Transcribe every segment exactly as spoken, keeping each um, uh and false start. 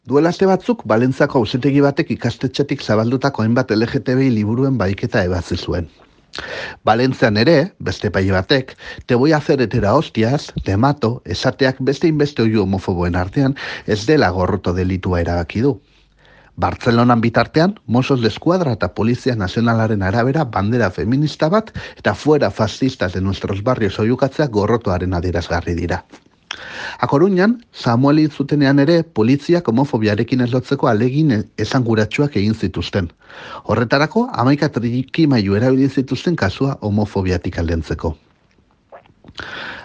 Duela aste batzuk, Valentziako auzitegi batek ikastetxetik zabaldutako hainbat L G T B I liburuen bahiketa ebatzi zuen. Valentzian ere, beste epaile batek, te voy a hacer hetera hostias, te mato, esateak beste inbeste oihu homofoboen artean ez dela gorroto delitua erabaki du. Bartzelonan bitartean, Mossos d'Eskuadra eta Polizia Nazionalaren arabera bandera feminista bat eta fuera fascistas de nuestros barrios oihukatzea gorrotoaren adierazgarri dira. A Coruñan, Samuel hil zutenean ere, poliziak homofobiarekin ez lotzeko alegin esanguratsuak egin zituzten. Horretarako, hamaika trikimailu erabili zituzten kasua homofobiatik aldentzeko.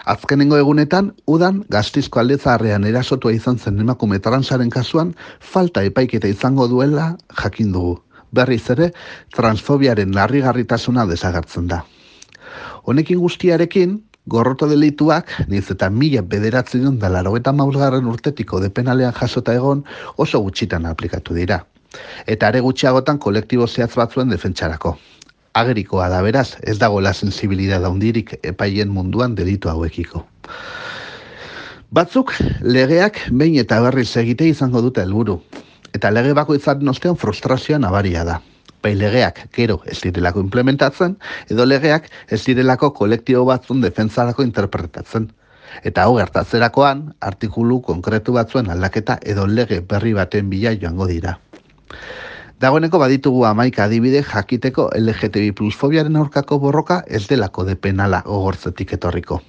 Azkenengo egunetan, udan Gasteizko alde zaharrean erasotua izan zen emakume transaren kasuan, falta epaiketa izango duela jakin dugu. Berriz ere, transfobiaren larrigarritasuna desagertzen da. Honekin guztiarekin, gorroto delituak, niz eta mila bederatzen da laurogeita hamabost urtetik kode penalean jasota egon, oso gutxitan aplikatu dira. Eta are gutxiagotan kolektibo zehatz batzuen defentsarako. Agerikoa da beraz, ez dagoela sensibilidad handirik epailen munduan delitu hauekiko. Batzuk, legeak behin eta berriz egite izango dute helburu. Eta lege bakoitzaren ostean frustrazioa nabaria da. Bai legeak gero ez direlako implementatzen, edo legeak ez direlako kolektibo batzun defentsarako interpretatzen. Eta hau gertatzerakoan, artikulu konkretu batzuen aldaketa edo lege berri baten bila joango dira. Dagoeneko baditugu hamaika adibide jakiteko L G T B I plus fobiaren aurkako borroka ez delako de penala gogortzetik etorriko.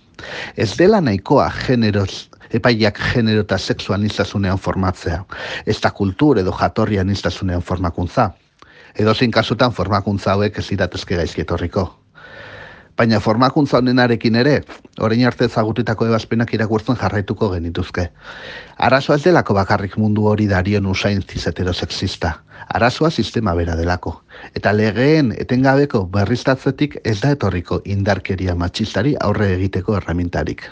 Ez dela nahikoa generoz, epaileak genero eta sexu aniztasunean formatzea, ez da kultur edo jatorri aniztasunean formakuntza. Edozein kasutan formakuntza hauek ez iratezke gaizki etorriko. Baina formakuntza honenarekin ere, orain arte ezagututako ebazpenak irakurtzen jarraituko genituzke. Arazoa ez delako bakarrik mundu hori darion usain ziz-heterosexista. Arazoa sistema bera delako. Eta legeen etengabeko berriztatzetik ez da etorriko indarkeria matxistari aurre egiteko erramintarik.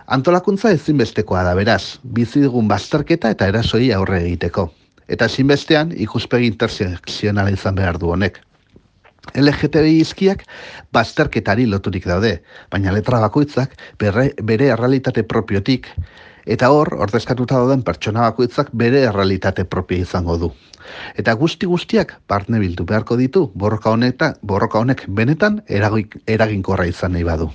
Antolakuntza ezinbestekoa da beraz, bizi dugun bazterketa eta erasoi aurre egiteko. Eta ezinbestean ikuspegi intersekzionala izan behar du honek. L G T B I izkiak bazterketari loturik daude, baina letra bakoitzak bere, bere errealitate propiotik, eta hor, ordezkatuta dauden pertsona bakoitzak bere errealitate propio izango du. Eta guzti guztiak barne bildu beharko ditu borroka honek, borroka honek benetan eraginkorra izan nahi badu.